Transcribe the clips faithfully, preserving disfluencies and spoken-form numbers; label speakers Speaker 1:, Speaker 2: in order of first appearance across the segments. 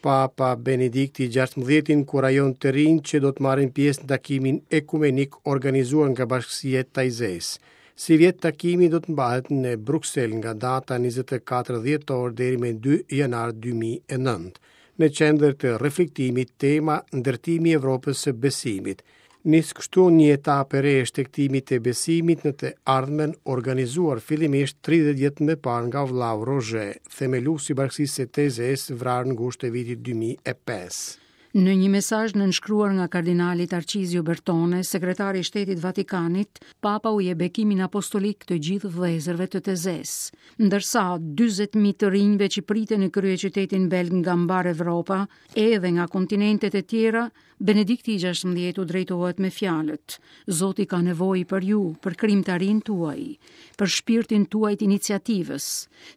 Speaker 1: Papa Benedikti gjashtëmbëdhjetë inkurajon të rinjtë që do të marrin pjesë në takimin ekumenik organizuar nga Bashkësia e Taizesë. Sivjet takimi do të mbahet në Bruksel nga data njëzet e katër dhjetor deri më dy janar dy mijë e nëntë. Në qendër të reflektimit tema ndërtimi i Evropës së besimit. Nis kështu një etapë e re e shtegtimit të besimit në të ardhmen, organizuar fillimisht tridhjetë vjet më parë nga vllau Roger, themeluesi i Bashkësisë së Taizesë, vrarë në gusht të vitit dy mijë e pesë.
Speaker 2: Në një mesazh nënshkruar nga kardinali Tarcizio Bertone, sekretari i Shtetit Vatikanit, Papa u jep bekimin apostolik të gjithë vëllezërve të Tezes, ndërsa dyzet mijë të rinjve që priten në kryeqytetin belg nga mbar Evropa, edhe nga kontinentet e tjera, Benedikti i gjashtëmbëdhjetë u drejtohet me fjalët: Zoti ka nevojë për ju, për krijimtarinë tuaj, për shpirtin tuaj të iniciativës,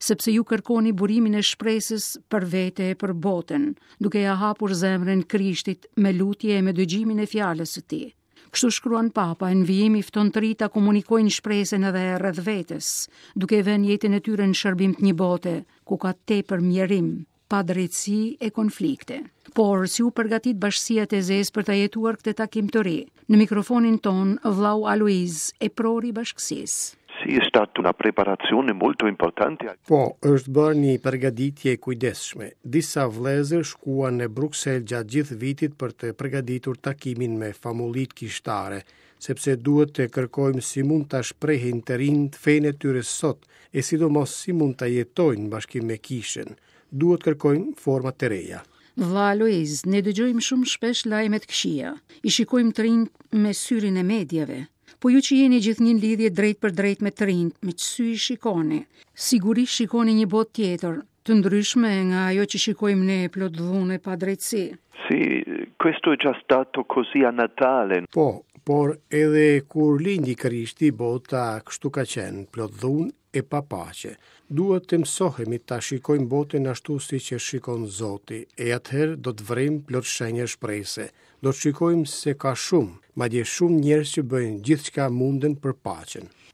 Speaker 2: sepse ju kërkoni burimin e shpresës për vete e për botën, duke ja hapur zemrën Krishtit me lutje e me dëgjimin e fjalës së tij. Kështu shkruan Papa, në vijim i fton të rinjtë ta komunikojnë shpresën edhe rreth vetes, duke e vënë jetën e tyre në shërbim të një bote ku ka tepër mjerim, padrejtësi e konflikte. Por, si u përgatit Bashkësia e Tezes për ta jetuar këtë takim të ri? Në mikrofonin ton, vllau Aloiz, e prori bashkësisë.
Speaker 3: Sì, è stata una preparazione molto importante.
Speaker 1: Po, është bërë një përgatitje e kujdesshme. Disa vëllezër shkuan në Bruksel gjatë gjithë vitit për të përgatitur takimin me famullit kishtare, sepse duhet të kërkojmë si mund ta shprehin të rinjtë fenë e tyre sot, e sidomos si mund ta jetojnë në bashkim me kishën. Duhet kërkojmë forma të reja.
Speaker 2: Vlla Aloiz, ne dëgjojmë shumë shpesh lajme të këqija. I shikojmë të rinjtë me syrin e mediave. Po ju që jeni gjithnjë në lidhje drejt për drejt me të rinjtë, me ç'sy i shikoni? Sigurisht shikoni një botë tjetër, të ndryshme nga ajo që shikojmë ne plot dhunë e padrejtësi.
Speaker 3: Sì, questo è già stato così a Natale.
Speaker 1: Po, por edhe kur lindi Krishti, bota kështu ka qenë, plot dhunë e pa paqe. Duhet të mësohemi ta shikojmë botën ashtu siç e shikon Zoti, e atëherë do të vrejmë plot shenja shprese. Do të shikojmë se ka shumë, madje shumë njerëz që bëjnë gjithçka munden për paqen.